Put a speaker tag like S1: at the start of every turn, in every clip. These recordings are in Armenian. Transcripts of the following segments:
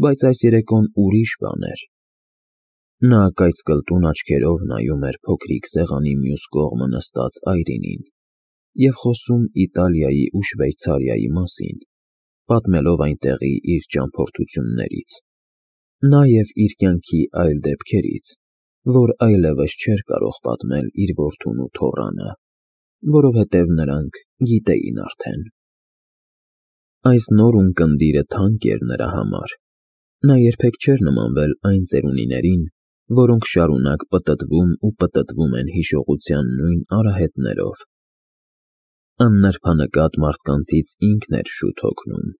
S1: բայց այս երեկոն ուրիշ բան էր։ Նա կայծկլտուն աչքերով նայում էր փոքրիկ սեղանի մյուս կողմը նստած Այրինին և խոսում Իտալիայի ու Շվեյցարիայի մասին, պատմելով այնտեղի իր ճամփորդություններից, նաև իր կյանքի այլ դեպքերից, որ այլևս չէր կարող պատմել իր որդուն ու թոռանը, որովհետև նրանք գիտեին արդեն։ Այս նոր ունկնդիրը թանկ էր նրա համար։ Նա երբեք չէր նմանվել այն ծերունիներին, որոնք շարունակ պտտվում ու պտտվում են հիշողության նույն արահետներով։ Աննրբանկատ մարդկանցից ինքն էր շուտ հոգնում,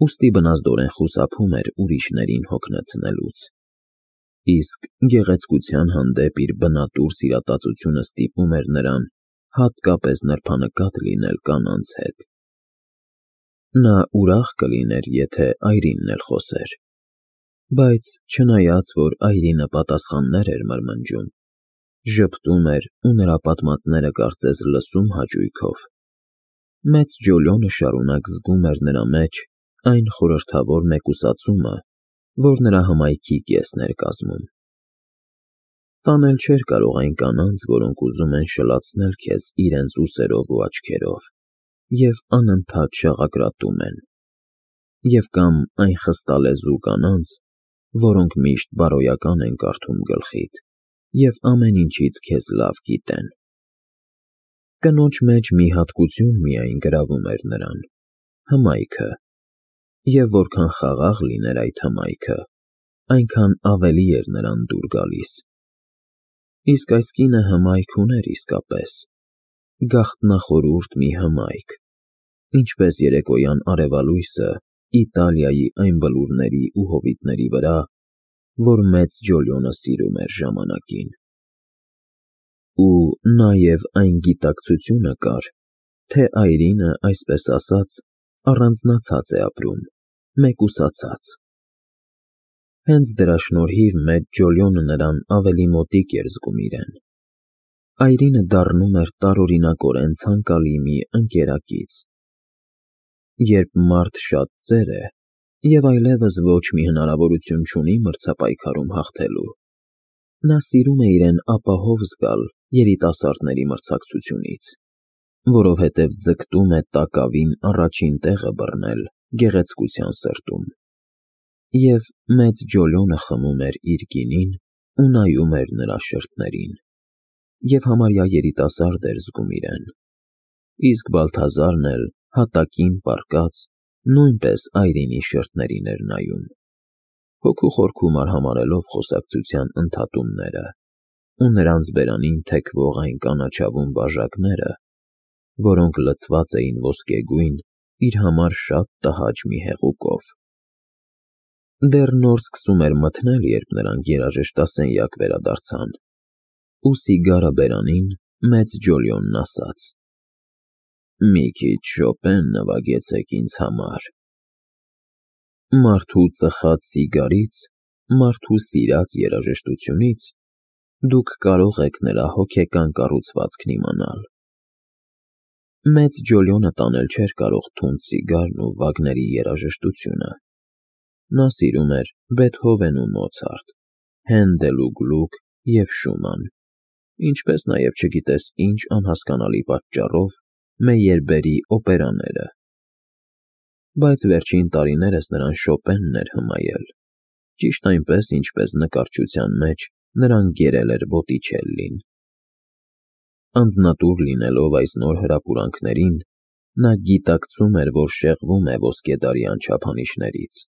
S1: ուստի բնազդորեն խուսափում էր ուրիշներին հոգնեցնելուց։ Իսկ գեղեցկության հանդեպ իր բնատուր սիրատացությունը ստիպում էր նրան հատկապես նրբանկատ լինել կանանց հետ։ Նա ուրախ կլիներ, եթե Այրինն էլ խոսեր, բայց չնայած, որ Այրինը պատասխաններ էր մրմնջում, ժպտում էր ու նրա պատմածները կարծես լսում հաճույքով, մեծ Ջոլիոնը շարունակ զգում էր նրա մեջ այն խորհրդավոր մեկուսացումը, որ նրա հմայքի կեսն էր կազմում։ Տանել չէր կարող այն կանանց, որոնք ուզում են շլացնել քեզ իրենց ուսերով ու աչքերով և անընդհատ շաղակրատում են, և կամ այն խստալեզու կանանց, որոնք միշտ բարոյական են կարդում գլխիդ և ամեն ինչից քեզ լավ գիտեն։ Կնոջ մեջ մի հատկություն միայն գրավում էր նրան՝ հմայքը, և որքան խաղաղ լիներ այդ հմայքը, այնքան ավելի էր նրան դուր գալիս։ Իսկ այս կինը հմայք ուներ իսկապես, գաղտնախորուրդ մի հմայք, ինչպես երեկոյան արևալույսը Իտալիայի այն բլուրների ու հովիտների վրա, որ մեծ Ջոլիոնը սիրում էր ժամանակին։ Ու նաև այն գիտակցությունը կար, թե Այրինը, այսպես ասած, առանձնացած է ապրում, մեկուսացած։ Հենց դրա շնորհիվ մեծ Ջոլիոնը նրան ավելի մոտիկ էր զգում իրեն։ Այրինը դառնում էր տարօրինակորեն ցանկալի մի ընկերակից։ Երբ մարդ շատ ծեր է և այլևս ոչ մի հնարավորություն չունի մրցապայքարում հաղթելու, նա սիրում է իրեն ապահով զգալ երիտասարդների մրցակցությունից, որովհետև ձգտում է տակավին առաջին տեղը բռնել գեղեցկության սրտում։ Եվ մեծ Ջոլիոնը խմում էր իր գինին ու նայում էր նրա շրթերին, և համարյա երիտասարդ էր զգում իրեն, իսկ Բալթազարն էլ հատակին պառկած նույնպես Այրինի շրթերին էր նայում, հոգու խորքում արհամարհելով խոսակցության ընդհատումները ու նրանց բերանին թեքվող այն կանաչավուն բաժակները, որոնք լցված էին ոսկեգույն, իր համար շատ տհաճ մի հեղուկով։ Դեռ նոր սկսում էր մթնել, երբ նրանք երաժշտասենյակ վերադարձան, ու սիգարը բերանին մեծ Ջոլիոնն ասաց. «Մի քիչ Շոպեն նվագեցեք ինձ համար»։ Մարդու ծխած սիգարից, մարդու սիրած երաժշտությունից դուք կարող եք նրա հոգեկան կառուցվածքն իմանալ։ Մեծ Ջոլիոնը տանել չէր կարող թունդ սիգարն ու Վագների երաժշտությունը։ Նա սիրում էր Բեթհովեն ու Մոցարտ, Հենդել ու Գլուք և Շուման, ինչպես նաև չգիտես ինչ անհասկանալի պատճառով Մեյերբերի օպերաները։ Բայց վերջին տարիներս նրան Շոպենն էր հմայել, ճիշտ այնպես, ինչպես նկարչության մեջ նրան գերել էր Բոտիչելլին։ Անձնատուր լինելով այս նոր հրապուրանքներին, նա գիտակցում էր, որ շեղվում է ոսկեդարյան չափանիշներից։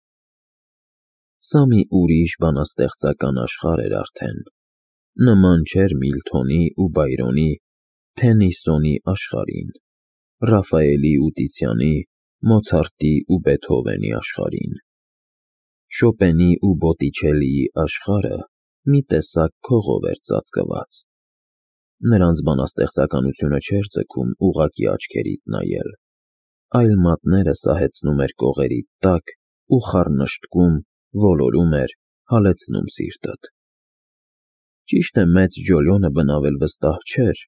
S1: Սա մի ուրիշ բանաստեղծական աշխարհ էր արդեն, նման չէր Միլթոնի ու Բայրոնի, Թեննիսոնի աշխարհին, Ռաֆայելի ու Տիցիանի, Մոցարտի ու Բեթհովենի աշխարհին։ Շոպենի ու Բոտիչելլիի աշխարհը մի տեսակ քողով էր ծածկված։ Նրանց բանաստեղծականությունը չէր ձգում ուղղակի աչքերիդ նայել, այլ մատները սահեցնում էր կողերիդ տակ ու խառնշտկում, ոլորում էր, հալեցնում սիրտդ։ Ճիշտ է, մեծ Ջոլիոնը բնավել վստահ չէր,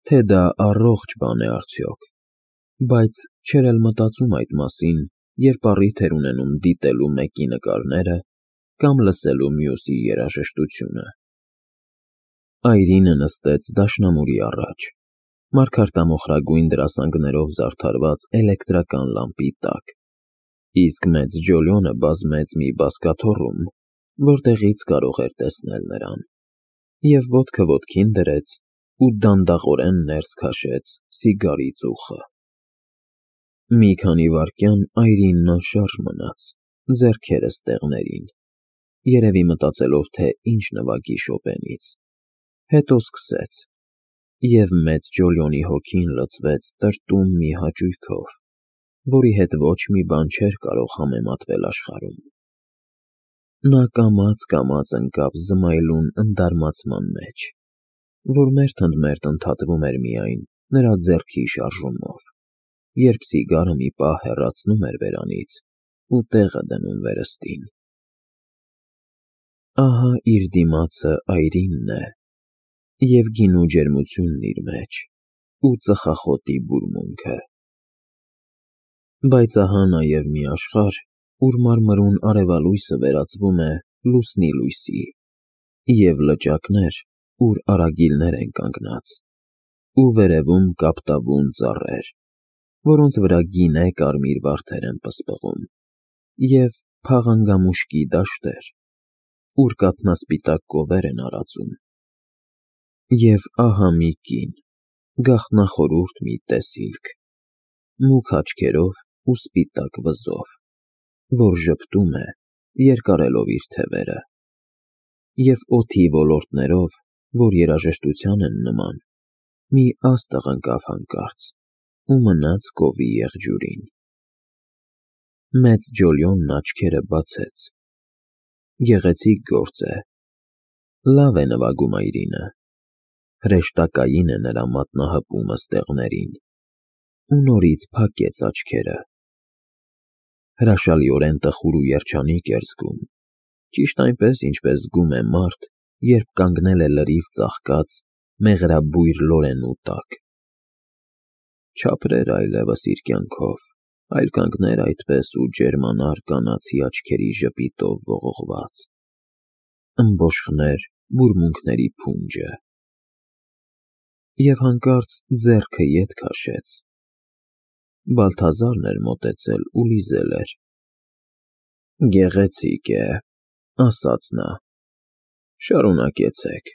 S1: թե դա առողջ բան է արդյոք, բայց չէր էլ մտածում այդ մասին, երբ առիթ էր ունենում դիտելու մեկի նկարները կամ լսելու մյուսի երաժշտությունը։ Այրինը նստեց դաշնամուրի առաջ, մարգարտամոխրագույն դրասանգներով զարդարված էլեկտրական լամպի տակ, իսկ մեծ Ջոլիոնը բազմեց մի բազկաթոռում, որտեղից կարող էր տեսնել նրան, և ոտքը ոտքին դրեց ու դանդաղորեն ներս քաշեց սիգարի ծուխը։ Մի քանի վայրկյան Այրինն անշարժ մնաց, ձեռքերը ստեղներին, երևի մտածելով, թե ինչ նվագի Շոպենից, հետո սկսեց, և մեծ Ջոլիոնի հոգին լցվեց տրտում մի հաճույքով, որի հետ ոչ մի բան չէր կարող համեմատվել աշխարհում։ Նա կամաց ընկավ զմայլուն ընդարմացման մեջ, որ մերթ-ընդ-մերթ ընդհատվում էր միայն նրա ձեռքի շարժումով, երբ սիգարը մի պահ հեռացնում էր բերանից ու տեղը դնում վերստին։ Ահա իր դիմացը Այրինն է, և գինու ջերմությունն իր մեջ, ու ծխախոտի բուրմունքը։ Բայց ահա նաև մի աշխարհ, ուր մարմրուն արևալույսը վերածվում է լուսնի լույսի, և լճակներ, ուր արագիլներ են կանգնած, ու վերևում կապտավուն ծառեր, որոնց վրա գինե կարմիր վարդեր են պսպղում, և փաղանգամուշկի դաշտեր, ուր կաթնասպիտակ կովեր են արածում։ Եվ ահա մի կին, գաղտնախորուրդ մի տեսիլք, մուգ աչքերով ու սպիտակ վզով, որ ժպտում է, երկարելով իր թևերը, և օդի ոլորտներով, որ երաժշտության են նման, մի աստղ ընկավ հանկարծ ու մնաց կովի եղջյուրին։ Մեծ Ջոլիոնն աչքերը բացեց։ Գեղեցիկ գործ է, լավ է նվագում Այրինը, հրեշտակային է նրա մատնահպումը ստեղներին, ու նորից փակեց աչքերը։ Հրաշալիորեն տխուր ու երջանիկ էր զգում, ճիշտ այնպես, ինչպես զգում է մարդ, երբ կանգնել է լրիվ ծաղկած մեղրաբույր լորենու տակ։ Չապրեր այլևս իր կյանքով, այլ կանգներ այդպես ու ջերմանար կանացի աչքերի ժպիտով ողողված, ըմբոշխներ բուրմունքների փունջը։ Եվ հանկարծ ձեռքը ետ քաշեց։ Բալթազարն էր մոտեցել ու լիզել էր։ Գեղեցիկ է, ասաց նա, շարունակեցեք,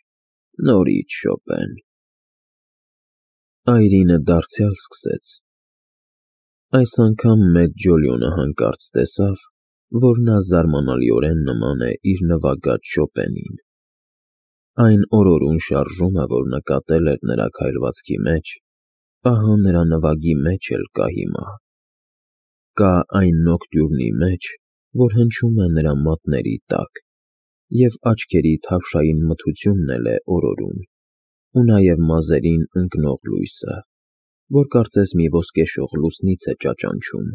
S1: նորից Շոպեն։ Այրինը դարձյալ սկսեց։ Այս անգամ մեծ Ջոլիոնը հանկարծ տեսավ, որ նա զարմանալիորեն նման է իր նվագած Շոպենին։ Այն օրորուն շարժումը, որ նկատել էր նրա քայլվածքի մեջ, ահա նրա նվագի մեջ էլ կա հիմա։ Կա այն նոկտյուրնի մեջ, որ հնչում է նրա մատների տակ, և աչքերի թավշային մթությունն էլ է օրորում, ու նաև մազերին ընկնող լույսը, որ կարծես մի ոսկեշող լուսնից է ճաճանչում։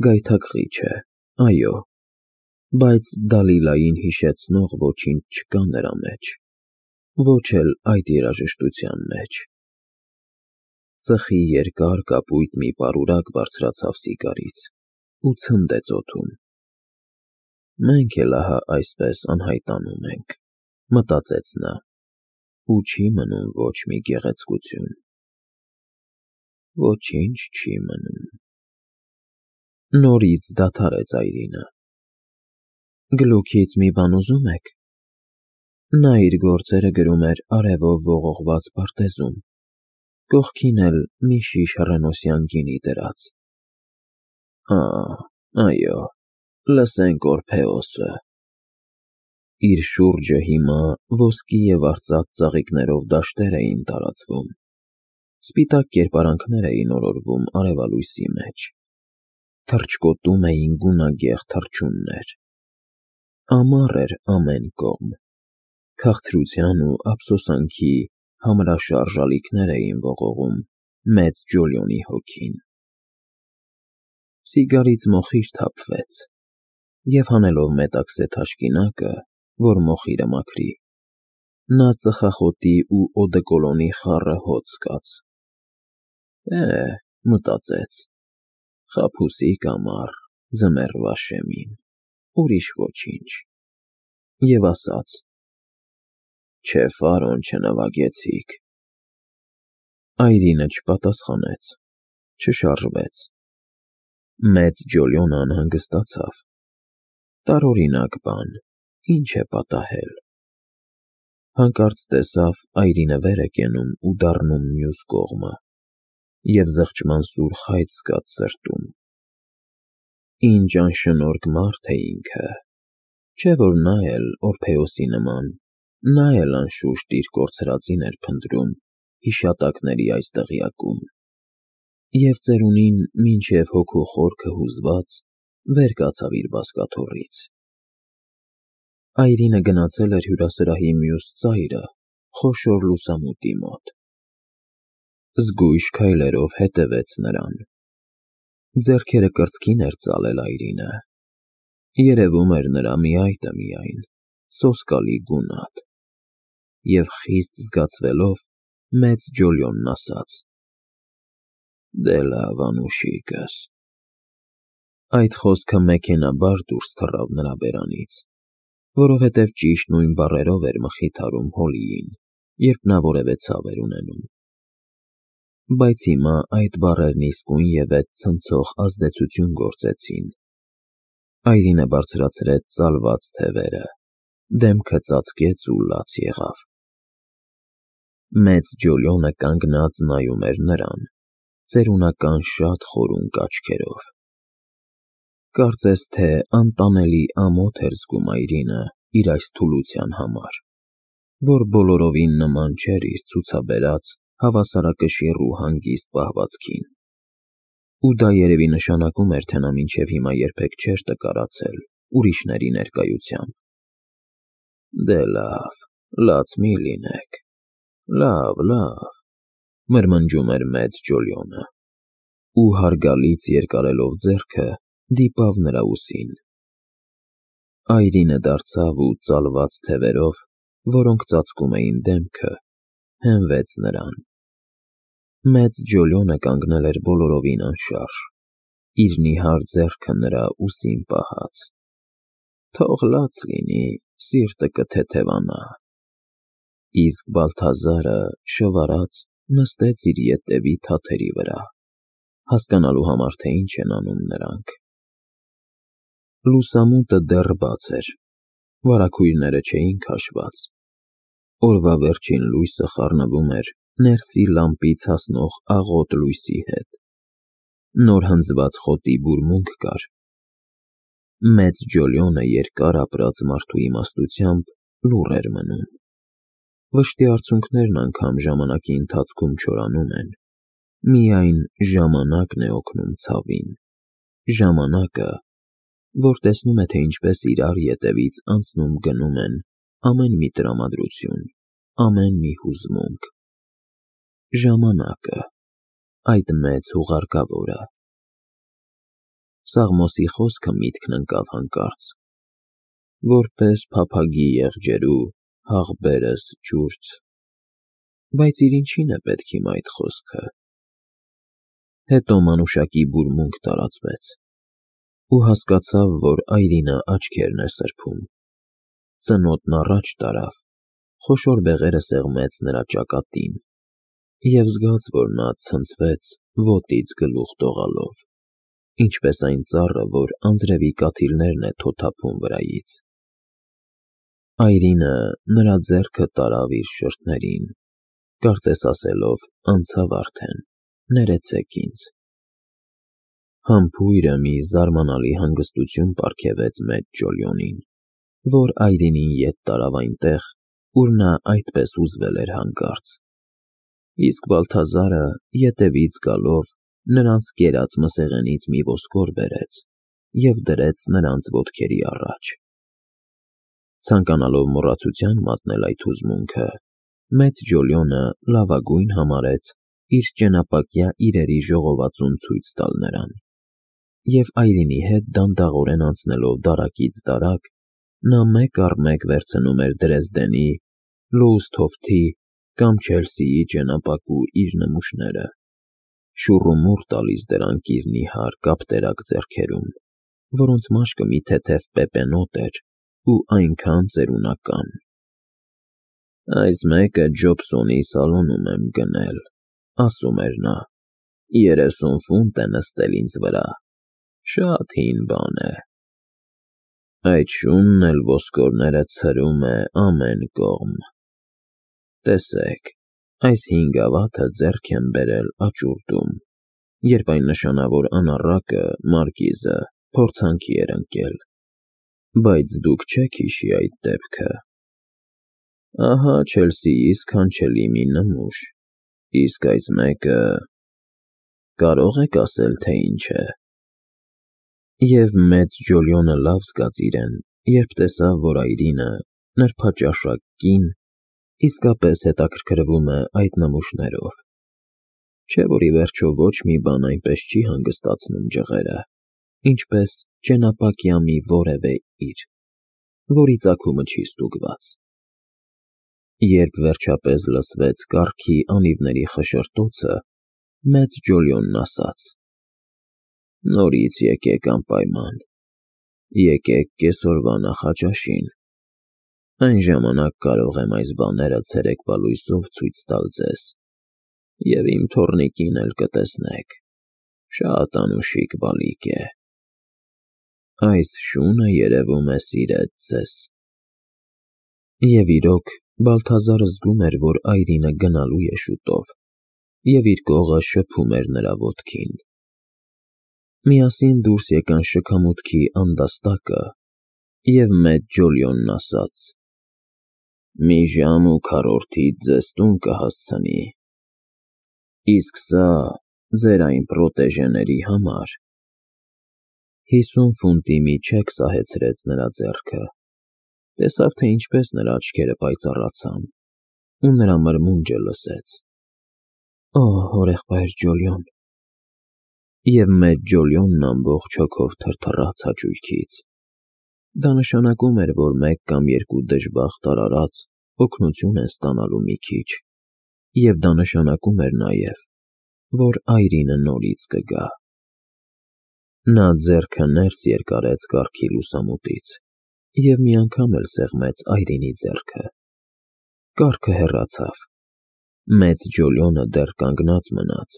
S1: Գայթակղիչ է, այո, բայց Դալիլային հիշեցնող ոչինչ չկա նրա մեջ, ոչ էլ այդ երաժշտության մեջ։ Ծխի երկար կապույտ մի պարուրակ բարձրացավ սիգարից ու ցնդեց օդում։ Մենք էլ ահա այսպես անհայտանում ենք, մտածեց նա, ու չի մնում ոչ մի գեղեցկություն։ Ոչինչ չի մնում։ Նորից դադարեց Այրինը։ Գլուքից մի բան ուզում եք։ Նա իր գործերը գրում էր արևով ողողված պարտեզում, կողքին էլ մի շիշ հռենոսյան գինի դրած։ Այո, լսենք Օրփեոսը։ Իր շուրջը հիմա ոսկի և արծաթ ծաղիկներով դաշտեր էին տարածվում, սպիտակ կերպարանքներ էին օրորվում արևալույսի մեջ, թռչկոտում էին գունագեղ թռչուններ։ Ամառ էր ամեն կողմ, քաղցրության ու ափսոսանքի համրաշարժ ալիքներ էին ողողում մեծ Ջոլիոնի հոգին։ Սիգարից մոխիր թափվեց, և հանելով մետաքսե թաշկինակը, որ մոխիրը մաքրի, նա ծխախոտի ու օդեկոլոնի խառը հոտ զգաց։ Մտածեց, խաբուսիկ ամառ, ձմեռվա շեմին։ ուրիշ ոչինչ, և ասաց. «Չէ, պարոն, չնվագեցիք»։ Այրինը չպատասխանեց, չշարժվեց։ Մեծ Ջոլյոնը անհանգստացավ։ Տարօրինակ բան, ինչ է պատահել։ Հանկարծ տեսավ Այրինը վեր է կենում ու դառնում մյուս կողմը, և զղջման սուր խայծ զգաց սրտում։ Ինչ անշնորհք մարդ է ինքը, չէ՞ որ նա էլ Օրփեոսի նման, նա էլ անշուշտ իր կորցրածին էր փնտրում հիշատակների այս դղյակում, և ծերունին մինչև հոգու խորքը հուզված վեր կացավ իր բազկաթոռից։ Այրինը գնացել էր հյուրասրահի մյուս ծայրը, խոշոր լուսամուտի մոտ։ Զգույշ քայլերով հետևեց նրան։ Ձեռքերը կրծքին էր ծալել Այրինը։ Երևում էր նրա մի այտը միայն, սոսկալի գունատ։ Եվ խիստ զգացվելով, մեծ Ջոլյոնն ասաց. «Դե լավ, անուշիկս»։ Այդ խոսքը մեքենայաբար դուրս թռավ նրա բերանից, որովհետև ճիշտ նույն բառերով էր մխիթարում Հոլիին, երբ նա որևէ ցավ էր ունենում։ Բայց հիմա այդ բառերն իսկույնևեթ ցնցող ազդեցություն գործեցին։ Այրինը բարձրացրեց ծալված թևերը, դեմքը ծածկեց ու լաց եղավ։ Մեծ Ջոլյոնը կանգնած նայում էր նրան, ծերունական շատ խորունկ աչքերով։ Կարծես թե անտանելի ամոթ էր զգում Այրինը իր այս թուլության համար, որ բոլորովին նման չէր իր ցուցաբերած հավասարակշիռ ու հանգիստ պահվածքին։ Ու դա երևի նշանակում էր, թե նա մինչև հիմա երբեք չէր տկարացել ուրիշների ներկայությամբ։ «Դե լավ, լաց մի լինեք, լավ, լավ», մրմնջում էր մեծ Ջոլյոնը, ու հարգալից երկարելով ձեռքը դիպավ նրա ուսին։ Այրինը դարձավ ու ծալված թևերով, որոնք ծածկում էին դեմքը, հենվեց նրան։ Մեծ Ջոլյոնը կանգնել էր բոլորովին անշարժ, իր նիհար ձեռքը նրա ուսին պահած։ Թող լաց լինի, սիրտը կթեթևանա։ Իսկ Բալթազարը, շվարած, նստեց իր ետևի թաթերի վրա, հասկանալու համար, թե ինչ են անում նրանք։ Լուսամուտը դեռ բաց էր, վարագույրները չէին քաշված։ Օրվա վերջին լույսը խառնվում էր ներսի լամպից հասնող աղոտ լույսի հետ։ Նոր հնձված խոտի բուրմունք կար։ Մեծ Ջոլյոնը երկար ապրած մարդու իմաստությամբ լուռ էր մնում։ Վշտի արցունքներն անգամ ժամանակի ընթացքում չորանում են, միայն ժամանակն է օգնում ցավին, ժամանակը, որ տեսնում է, թե ինչպես իրար ետևից անցնում գնում են ամեն մի տրամադրություն, ամեն մի հուզմունք։ Ժամանակը, այդ մեծ հուղարկավորը։ Սաղմոսի խոսքը միտքն ընկավ հանկարծ. «Որպես փափագի եղջերու հաղբերս ջուրց»։ Բայց իր ինչին է պետք հիմա այդ խոսքը։ Հետո մանուշակի բուրմունք տարածվեց, ու հասկացավ, որ Այրինը աչքերն է սրբում։ Ծնոտն առաջ տարավ, խոշոր բեղերը սեղմեց նրա ճակատին, և զգաց, որ նա ցնցվեց ոտից գլուխ դողալով, ինչպես այն ծառը, որ անձրևի կաթիլներն է թոթափում վրայից։ Այրինը նրա ձեռքը տարավ իր շրթներին, կարծես ասելով. «Անցավ արդեն, ներեցեք ինձ»։ Համբույրը մի զարմանալի հանգստություն պարգևեց մեծ Ջոլյոնին, որ Այրինին ետ տարավ այնտեղ, ուր նա այդպես հուզվել էր հանկարծ։ Իսկ Բալթազարը, ետևից գալով, նրանց կերած մսեղենից մի ոսկոր բերեց և դրեց նրանց ոտքերի առաջ։ Ցանկանալով մոռացության մատնել այդ հուզմունքը, մեծ Ջոլյոնը լավագույն համարեց իր ճենապակյա իրերի ժողովածուն ցույց տալ նրան, և Այրինի հետ դանդաղորեն անցնելով դարակից դարակ, նա մեկ առ մեկ վերցնում էր Դրեզդենի, Լոուստհոֆթի կամ Չելսիի ճենապակու իր նմուշները, շուռումուռ տալիս դրանք իր նիհար կապտերակ ձեռքերում, որոնց մաշկը մի թեթև պեպենոտ էր ու այնքան ծերունական։ «Այս մեկը Ջոբսոնի սալոնում եմ գնել», ասում էր նա, 30 ֆունտ է նստել ինձ վրա, շատ հին բան է։ Այդ շունն էլ ոսկորները ցրում է ամեն կողմ։ Տեսեք, այս 5 գավաթը ձեռք եմ բերել աճուրդում, երբ այն նշանավոր անառակը, մարկիզը, փորձանքի էր ընկել, բայց դուք չեք հիշի այդ դեպքը։ Ահա Չելսիի սքանչելի մի նմուշ, իսկ այս մեկը… Կարող եք ասել, թե ինչ է։ Եվ մեծ Ջոլիոնը լավ զգաց իրեն, երբ տեսավ, որ այրինը, նրբաճաշակ կին, իսկապես հետաքրքրվում է այդ նմուշներով, չէ՞ որ ի վերջո ոչ մի բան այնպես չի հանգստացնում ջղերը, ինչպես ճենապակյա մի որևէ իր, որի ծագումը չի ստուգված։ Երբ վերջապես լսվեց կառքի անիվների խշշոտոցը, մեծ Ջոլիոնն ասաց. «Նորից եկեք անպայման, եկեք կեսօրվա նախաճաշին, այն ժամանակ կարող եմ այս բաները ցերեկվա լույսով ցույց տալ ձեզ, և իմ թոռնիկին էլ կտեսնեք, շատ անուշիկ բալիկ է։ Այս շունը, երևում է, սիրեց ձեզ»։ Եվ իրոք, Բալթազարը զգում էր, որ այրինը գնալու է շուտով, և իր կողը շփում էր նրա ոտքին։ Միասին դուրս եկան շքամուտքի անդաստակը, և մեծ Ջոլիոնն ասաց. «Մի ժամ ու քառորդից ձեզ տուն կհասցնի, իսկ սա ձեր այն պրոտեժեների համար»։ 50 ֆունտի մի չեք սահեցրեց նրա ձեռքը, տեսավ, թե ինչպես նրա աչքերը պայծառացան, ու նրա մրմունջը լսեց. «Օ, հորեղբայր Ջոլիոն»։ Եվ մեծ Ջոլիոնն ամբողջ հոգով թրթռաց հաճույքից։ Դա նշանակում էր, որ մեկ կամ երկու դժբախտ արարած օգնություն են ստանալու մի քիչ, և դա նշանակում էր նաև, որ այրինը նորից կգա։ Նա ձեռքը ներս երկարեց կառքի լուսամուտից և մի անգամ էլ սեղմեց այրինի ձեռքը։ Կառքը հեռացավ։ Մեծ Ջոլիոնը դեռ կանգնած մնաց,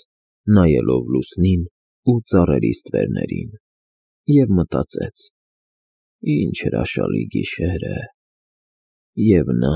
S1: նայելով լուսնին ու ծառերի ստվերներին, և մտածեց. ինչ հրաշալի գիշեր է, և նա